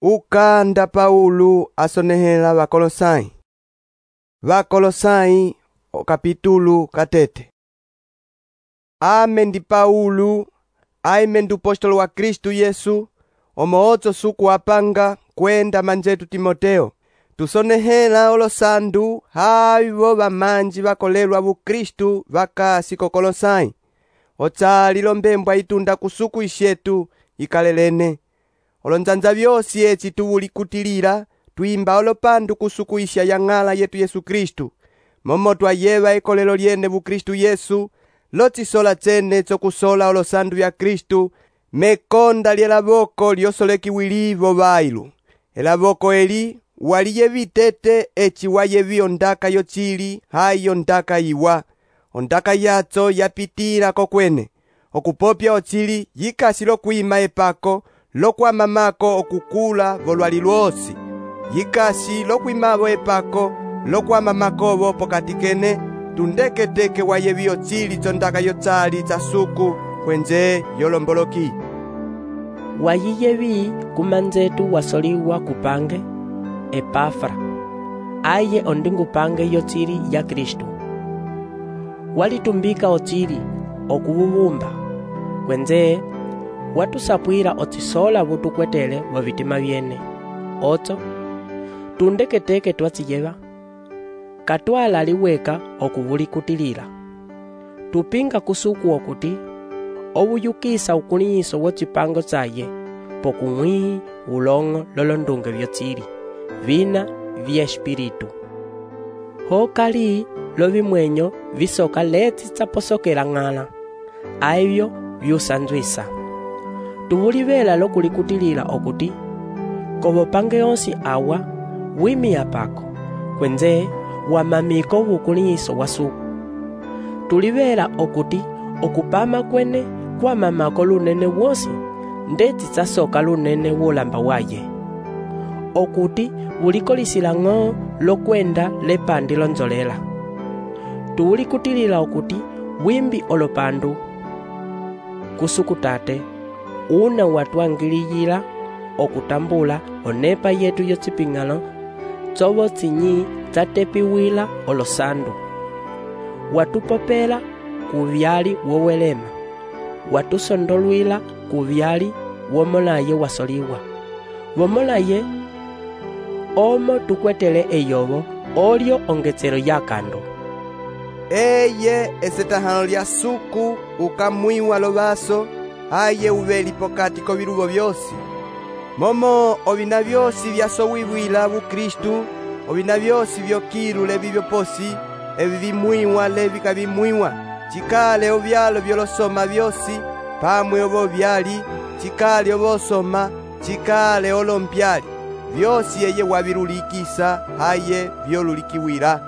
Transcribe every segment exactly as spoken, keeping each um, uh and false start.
Ukanda Paulo asonehela Vakolosai. Vakolosai o kapitulu katete. Ame ndi Paulo, aime ndu apostolo wa Kristu Yesu, omoozo suku apanga kwenda manjetu Timoteo. Tusonehela olosandu haivo vamanji vakolelwa vu Kristu vakasi ko Kolosai. Otsali lombembwa itunda kusuku ishetu ikalelene. Olonzanza vyosi eci tuwulikutilila, tuimba olopandu kusuku isha ya ng'ala yetu Yesu Kristu. Momo twayeva ekolelo lyene vu Kristu Yesu, lotisola tsene tsokusola olosandu vya Kristu, mekonda lyelavoko lyosolekiwilivo vailu. Elavoko eli waliyevi tete eci wayevi ondaka yotsili hayi ondaka iwa. Ondaka yatso yapitila kokwene. Okupopya otsili yikasi lokwima epako, lokwamamako okukula volwali lwosi. Yikasi lokwimavo epako, lokwamamakovo pokati kene, tundeketeke wayevi otsili tsondaka yotsali tsa suku kwenze yolomboloki. Wayiyevi kumanzetu wasoliwa kupange Epafra, aye ondingupange yotsili ya Kristu. Walitumbika otsili okuvuvumba, kwenze watusapwila otsisola vutukwetele wa vitima vyene. Otso tundeketeke twatsiyeva katwala liweka okuvulikutilila. Tupinga kusuku okuti ovuyukisa ukuliso wotsipango tsaye pokung'wi ulong'o lolondunge vyotsili vina vya espiritu. Hokali lovimwenyo visoka letsi tsaposokela ng'ala aivyo vyusanzwisa. Tuvulivela lokulikutilila okuti kovopange onsi awa wimiya pako, kwenze wamamiko vukuliso wasuku. Tulivela okuti okupama kwene kwamamako lunene wosi ndeti tsasoka lunene wolamba waye. Okuti vulikolisila ng'o lokwenda lepandi lonzolela. Tuwulikutilila okuti wimbi olopandu kusuku tate una watwangiliyila okutambula onepa yetu yotsiping'ano tsovo tsinyi tsatepiwila olosandu. Watupopela kuvyali wowelema, watusondolwila kuvyali womolaye wasoliwa. Womolaye omo tukwetele eyovo olyo ongetselo yakando. Eye esetahano lya suku ukamwiwa lovaso aye uveli pokati koviluvo vyosi. Momo ovina vyosi vyasowiwila vu Kristu, ovina vyosi vyokilu levi vyoposi, evi vimwiwa levi kavimwiwa, chikale ovyalo vyolosoma vyosi, pamwe ovo vyali, chikale ovosoma, chikale olompyali, vyosi eye wavilulikisa haye vyolulikiwila.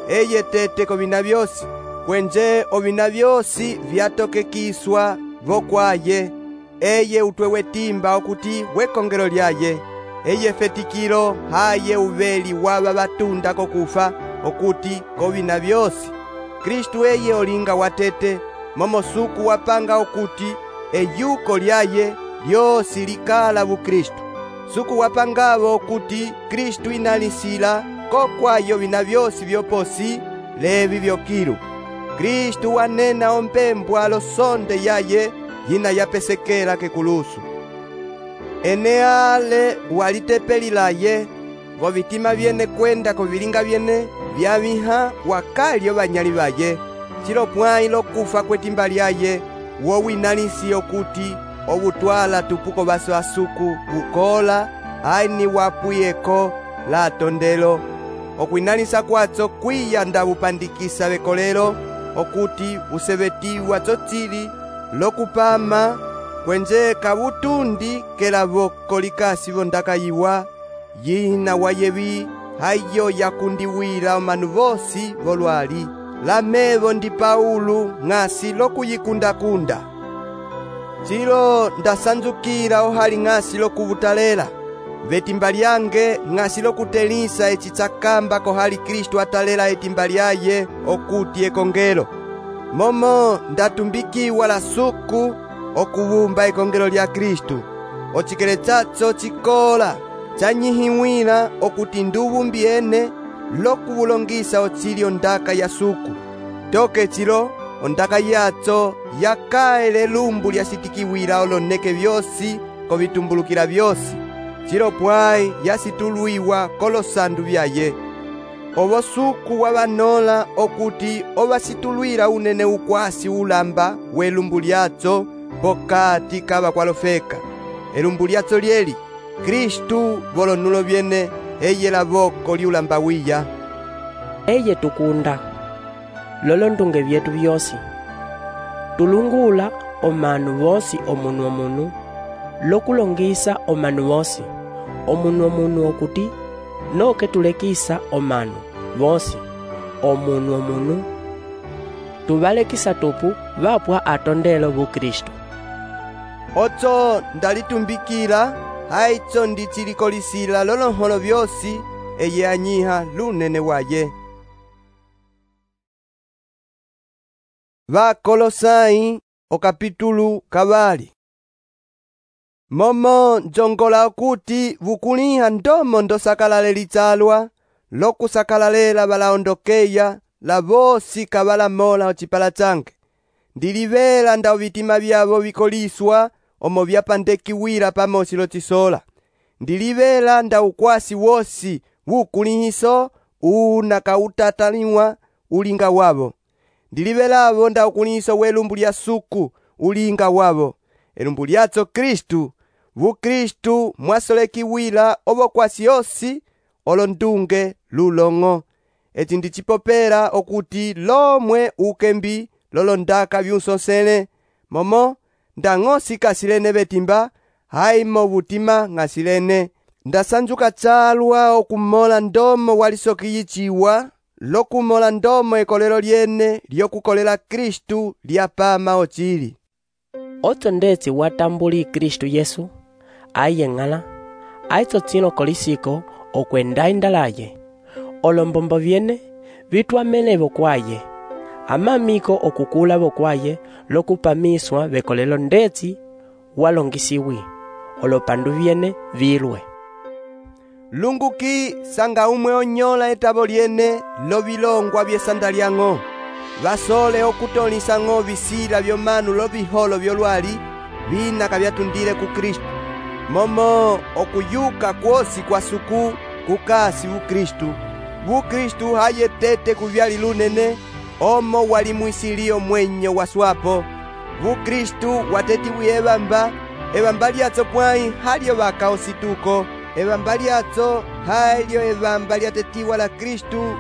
Eye tete kovina vyosi, kwenze ovina vyosi vyatokekiswa vokwaye. Eye utwewe timba okuti wekongelo lyaye. Eye fetikilo haye uveli wava vatunda kokufa okuti kovina vyosi. Kristu eye olinga watete, momo suku wapanga okuti eyuko lyaye lyosi likala vu Kristu. Suku wapangavo okuti Kristu inalisila kokwayo vina vyosi vyoposi levi vyokilu. Kristu wanena ompembwa losonde yaye yina yapesekela kekulusu. Eneale walitepelilaye vo vitima vyene kwenda kovilinga vyene vyaviha wakalyo vanyali vaye. Chilo pwai lokufa kwetimba lyaye wowinalisi okuti ovutwala tupuko vaso asuku ukola aini wapuyeko la tondelo. Okwinalisa kwatso kwiyanda vupandikisa vekolelo okuti usevetiwa tsotsili lokupama kwenze kavutundi kelavoko likasi vondaka yiwa yina wayevi hayo yakundiwila omanu vosi volwali. Lamevo ndi Paulo ng'asi lokuyikundakunda. Chilo ndasanzukila ohali ng'asi lokuvutalela. Vetimba lyange ng'asi lokutelisa eci tsakamba kohali Kristu atalela etimba lyaye okuti ekongelo. Momo ndatumbikiwa la suku okuvumba ekongelo lya Kristu. Ochikele tsatso chikola chanyihiwila okuti nduvu mbyene lokuvulongisa otsili ondaka ya suku. Toke chilo ondaka yatso yakaele lumbu lyasitikiwila oloneke vyosi kovitumbulukila vyosi. Chilo pwai yasitulwiwa kolosandu vyaye. Ovo suku wavanola okuti ovasitulwila unene ukwasi ulamba welumbu lyatso pokati kava kwalofeka. Elumbu lyatso lyeli Kristu volonulo vyene eye lavoko liulamba wiya. Eye tukunda lolo ndunge vyetu vyosi tulungula omanu vosi omunu omunu lokulongisa omanu vosi omunu omunu okuti noke tulekisa omanu vosi omunu omunu tuvalekisa tupu vapwa atondelo vu Kristu. Otso ndalitumbikila haitso ndichilikolisila lolonholo vyosi eye anyiha lunene waye. Vakolosai okapitulu kavali. Momo njongola okuti vukuliha ndomo ndosakalale litsalwa lokusakalalela valaondokeya la vosi kavalamola ocipala tsange. Ndilivela nda ovitima vyavo vikoliswa omo vyapandekiwila pamosi lotisola. Ndilivela nda ukwasi wosi vukulihiso una kautataliwa ulinga wavo. Ndilivelavo nda ukulihiso welumbu lya suku ulinga wavo. Elumbu lyatso Kristu, vu Kristu mwasolekiwila ovokwasi yosi olondunge lulong'o. Eti ndichipopela okuti lomwe ukembi lolondaka vyunsosele momo ndang'osi kasilene vetimba haimo vutima ng'asilene. Ndasanjuka tsalwa okumola ndomo walisokiyichiwa lokumola ndomo ekolelo lyene lyokukolela Kristu lyapama ochili. Otso ndetsi watambuli Kristu Yesu ayeng'ala aitso tsino kolisiko okwenda indalaye olombombo vyene vitwamele vokwaye amamiko okukula vokwaye lokupamiswa vekolelo ndetsi walongisiwi olopandu vyene vilwe. Lunguki sanga umwe onyola etabo lyene lovilongwa vyesanda lyang'o vasole okutolisa ng'o visila vyomanu loviholo vyolwali vinaka vyatundile ku Kristu. Momo okuyuka kwosi kwa suku kukasi vu Kristu. Vu Kristu haye tete kuvyali lunene omo wali mwisilio mwenyo waswapo. Vu Kristu watetiwi evamba evamba lyatso pwai halyo vaka osituko. Evamba lyatso halyo evamba lyatetiwa la Kristu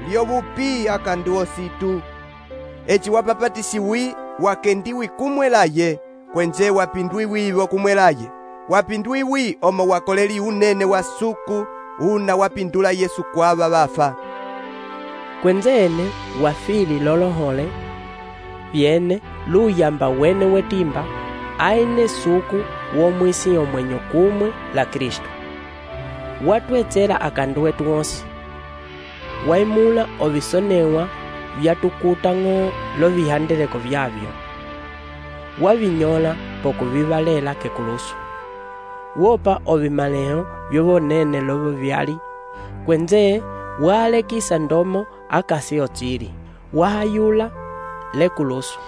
lyovupi akandu ositu. Eci wapapatisiwi wakendiwi kumwelaye kwenje wapindwiwivo kumwelaye. Wapindwiwi omo wakoleli unene wa suku una wapindula Yesu kwava vafa. Kwenzene wafili lolohole vyene luyamba wene wetimba aine suku womwisi omwenyo kumwe la Kristu. Watwetsela akandu wetu wosi waimula ovisonewa vyatukuta ng'o lovihandeleko vyavyo wavinyola pokuvivalela kekulusu wopa ovimaleho vyovonene lovo vyali kwenze walekisa ndomo akasi otsili wahayula lekulusu.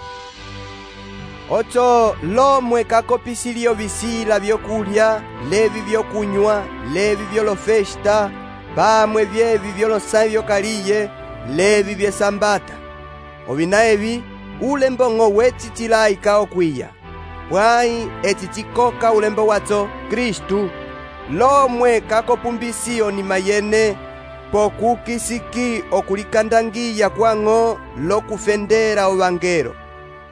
Ocho lomwe kakopisilio visila vyokulya levi vyokunywa levi vyolofesta pamwe vyevi vyolosai vyokaliye levi vyesambata ovina evi ulembo ng'o wechichilaika okwiya pwai eci chikoka ulembo watso Kristu lomwe kakopumbisio ni mayene pokukisiki okulikandangiya kwang'o lokufendera ovangelo.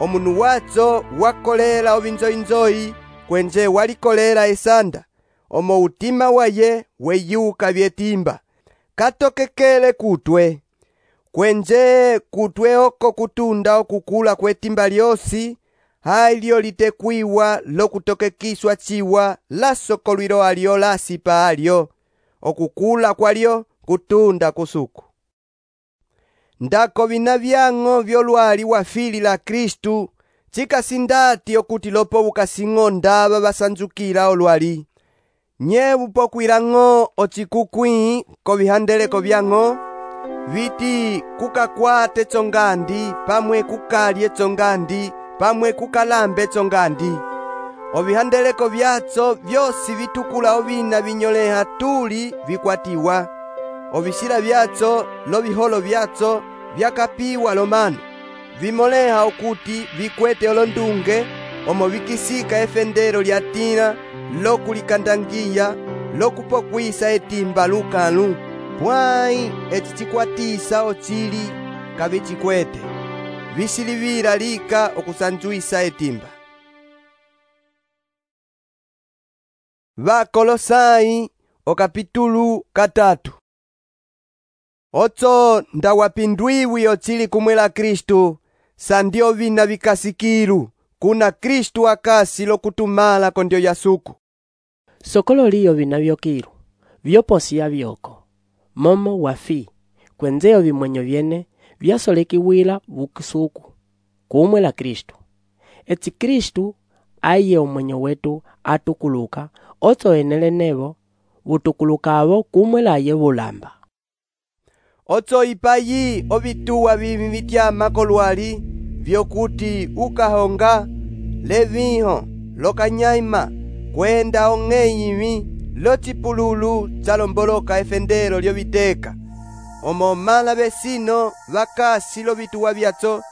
Omunu watso wakolela ovinzoinzoi kwenje walikolela esanda omo utima waye weyuka vyetimba katokekele kutwe kwenje kutwe oko kutunda okukula kwetimba lyosi halyo litekwiwa lokutokekiswa chiwa lasokolwilo alyo lasipa alyo okukula kwalyo kutunda kusuku. Ndako vina vyang'o vyolwali wafili la Kristu chikasindati okuti lopo ukasing'o ndava vasanjukila olwali. nyevu pokwilang'o ocikukwii kovihandeleko vyang'o, viti kukakwate tsongandi pamwe kukalye tsongandi pamwe kukalambe tsongandi. Ovihandeleko vyatso vyosi vitukula ovina vinyoleha tuli vikwatiwa. Ovisila vyatso loviholo vyatso vyakapiwa lomano, vimoleha okuti vikwete olondunge omo vikisika efendelo lya tila lokulikandangiya lokupokwisa etimba lukalu, pwai eci cikwatisa ocili kavicikwete, visilivila lika okusanjuisa etimba. Vakolosai okapitulu katatu. Otso ndawapindwiwi ocili kumwela Kristu, sandio vina vikasikilu, kuna Kristu akasi lokutumala kondio yasuku. Sokolo liyo vina vyokilu, vyoposia vyoko, momo wafi, kwenzeo vimwenyo vyene, vyasolekiwila vukusuku, kumwela Kristu. Eti Kristu aiye umwenyo wetu atukuluka, otso enele nevo, vutukulukavo kumwela aye vulamba. Otso ipayi ovituwa vivi vityama kolwali, vyokuti ukahonga, leviho, lokanyaima, kwenda ong'eyivi, locipululu tsalomboloka efendelo lyoviteka. Omo mala vesino vakasi lovituwa vyatso,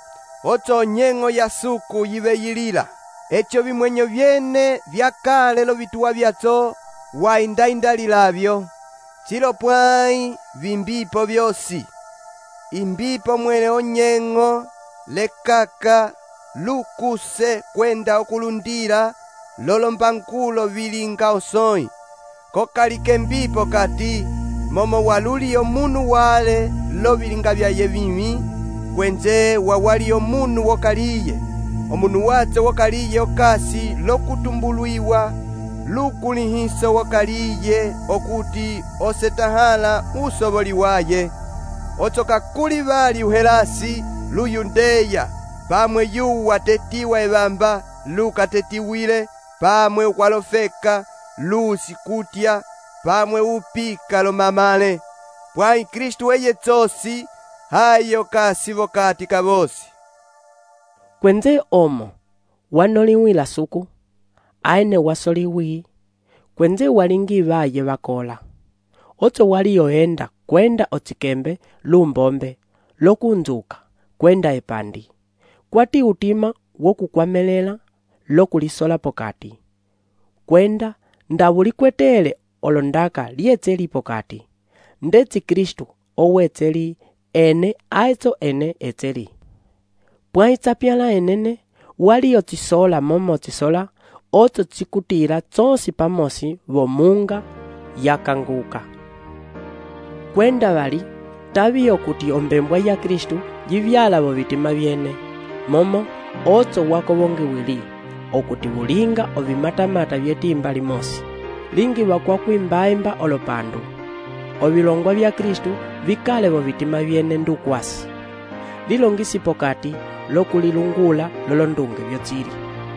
otso nyeng'o yasuku yiveyilila. Echo vimwenyo vyene vyakale lovituwa vyatso waindaindalilavyo. Chilo pwai vimbipo vyosi, imbipo mwele onyeng'o, lekaka, lukuse kwenda okulundila, lolombankulo vilinga osoi. Kokalike mbipo kati, momo waluli omunu wale lovilinga vyaye vimi, kwenze wawali omunu wokaliye, omunu watse wokaliye okasi lokutumbuluiwa, lukulihiso wakaliye okuti osetahala usoboli waye. Otso kakuli vali uhelasi luyundeya, pamwe yuwa tetiwa evamba lukatetiwile, pamwe ukwalofeka lusi kutya, pamwe upika lomamale. Pwai Kristu eye tsosi hayo kasi vokati kavosi. Kwenze omo wanoliwila suku, aine wasoliwi, kwenze walingi vaye vakola. Otso wali yoenda kwenda otsikembe lumbombe, lokunzuka, kwenda epandi. Kwati utima wokukwamelela, lokulisola pokati. Kwenda ndavulikwetele olondaka lietseli pokati. Ndetsi Kristu owetseli ene aitso ene etseli. Pwaitsapyala enene, wali yotsisola momo tsisola, otso tsikutila tsonsi pamosi vomunga yakanguka. Kwenda vali, tavi yokuti ombembwa ya Kristu jivyala vo vitima vyene, momo otso wako vongi wili, okuti vulinga ovimatamata vyetimba limosi, lingi wakwa kuimbaimba olopandu. Ovilongwa vya Kristu vikale vo vitima vyene ndukwasi, lilongisi pokati lokulilungula lolondunge vyotsili.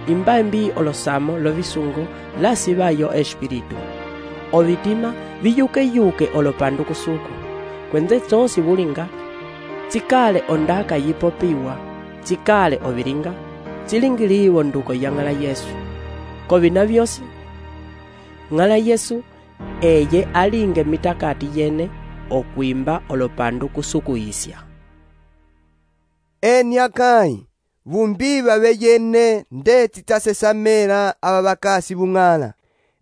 Imbaimbi olosamo lovisungo lasivayo espiritu. Ovitima viyuke yuke olopandu kusuku, kwenze tsonsi vulinga, tsikale ondaka yipopiwa, tsikale ovilinga, tsilingiliwo nduko ya ng'ala Yesu. Kovina vyosi, ng'ala Yesu eye alinge mitakati yene okwimba olopandu kusuku isya. Eni akai, vumbiva veyene ndeti tasesamela ava vakasi vung'ala.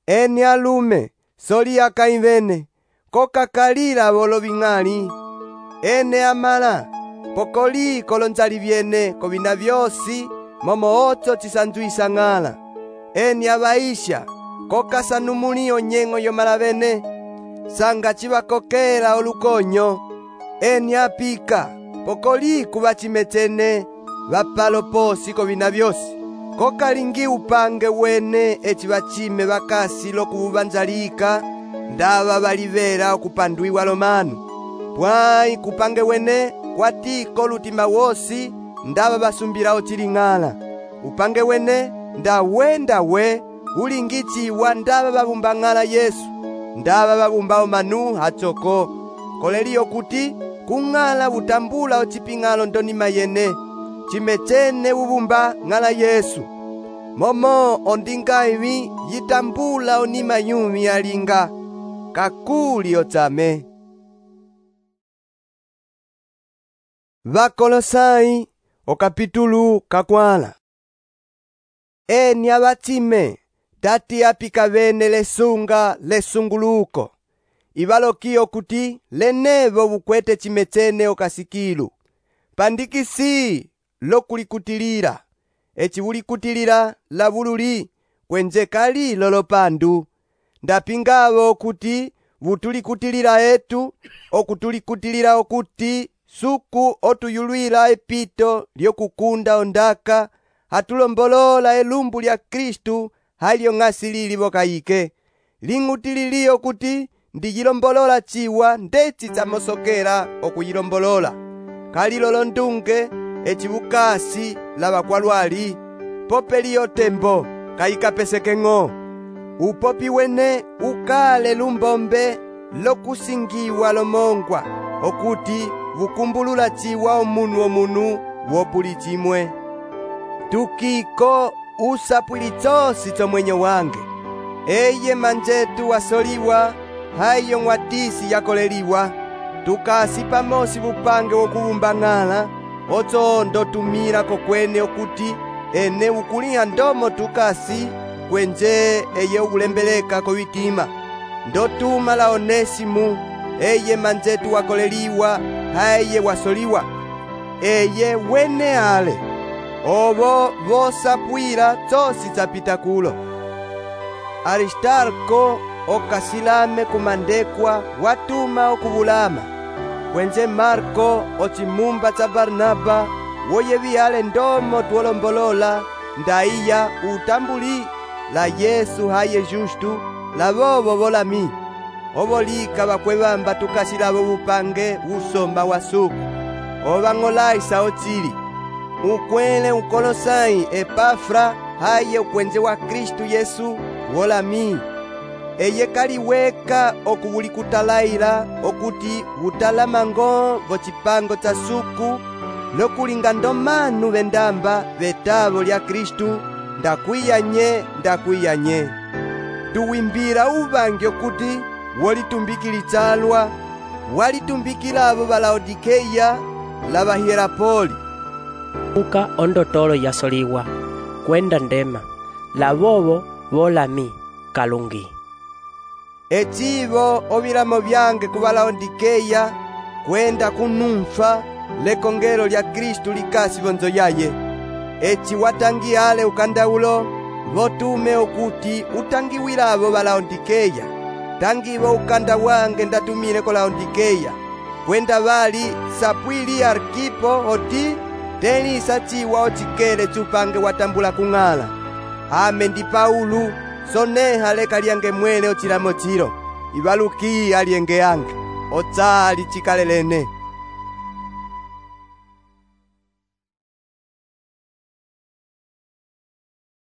Eni alume, soli akai vene, kokakalila volo ving'ali. Ene amala, pokoli kolonzali vyene kovina vyosi, momo otso tisanjuisa ng'ala. Eni avaisha, kokasanumuli onyeng'o yomala vene, sanga chivakokela olukonyo. Eni apika, pokoli kuvachimetene, vapalo posi kovina vyosi. Kokalingi upange wene eci vachime vakasi lokuvanzalika, ndava valivera okupandwiwa lomanu. Pwai kupange wene kwatiko lutima wosi, ndava vasumbila ocili ng'ala. Upange wene ndawenda we ulingiciwa ndava vavumba ng'ala Yesu, ndava vavumba omanu hachoko, koleliyo kuti kung'ala utambula ociping'alo ndonima yene, cimecene uvumba ng'ala Yesu. Momo ondinga iwi yitambula onima yumi alinga kakuli otsame. Vakolosai okapitulu kakwala. Eni avatime tati apika vene lesunga lesunguluko, ivalokiyo kuti lenevo vukwete cimecene okasikilu, pandikisi lokulikutilira, eci vulikutilira lavululi kwenje kali lolopandu, ndapingavo kuti vutulikutilira etu okutulikutilira okuti suku otuyulwila epito lyokukunda ondaka hatulombolola elumbu lya Kristu halyo ng'asilili vokayike, ling'utililiyo kuti ndiyilombolola ciwa ndeci tsamosokela okuyilombolola, kalilolo ndunge eci vukasi lavakwalwali, popeliyo tembo kayikapeseke-ng'o. Upopi wene ukale lumbombe lokusingiwa lomongwa, okuti vukumbulula ciwa omunu omunu wopuli cimwe. Tukiko usapwili cosi comwenyo wange, eye manjetu wasoliwa, hayo ng'watisi yakoleliwa, tukasi pamosi vupange wokuvumba ng'ala, oco ndotumila kokwene okuti ene ukuliha ndomo tukasi kwenje eye ukulembeleka kowitima. Ndotuma la Onesimu, eye manjetu wakoleliwa, haye wasoliwa, eye wene ale ovo vosapwila cosi capita kulo. Aristarko okasilame kumandekwa watuma okuvulama, kwenje Marko ocimumba ca Barnaba woyevihale ndomo tuolombolola ndaiya utambuli la Yesu haye justu lavovo volami, ovolika vakwevamba tukasilavo vupange usomba wa suku, ovang'olaisa ocili. Ukwele ukolosai Epafra haye ukwenje wa Kristu Yesu wolami, eye kaliweka okuvulikutalaila okuti utalamango vocipango ca suku lokulinga ndomanu vendamba vetavo lya Kristu ndakwiyanye ndakwiyanye. Tuwimbila uvangi okuti wolitumbikilitsalwa walitumbikilavo va Laodikeya lava Hierapoli. Uka ondotolo yasoliwa kwenda ndema lavovo volami kalungi. Ecivo ovilamo vyange kuva Laodikeya kwenda kunumfa lekongelo lya Kristu likasi vonzo yaye. Eci watangiyale ukandaulo votume okuti utangiwilavo va Laodikeya, tangivo ukanda wange ndatumile ko Laodikeya, kwenda vali sapwili Arkipo oti tenisa ciwa ocikele cupange watambula kung'ala. Ame ndi Paulu, soneha leka lyange mwele ocilamo cilo, ivaluki alienge yange, otsali cikalelene.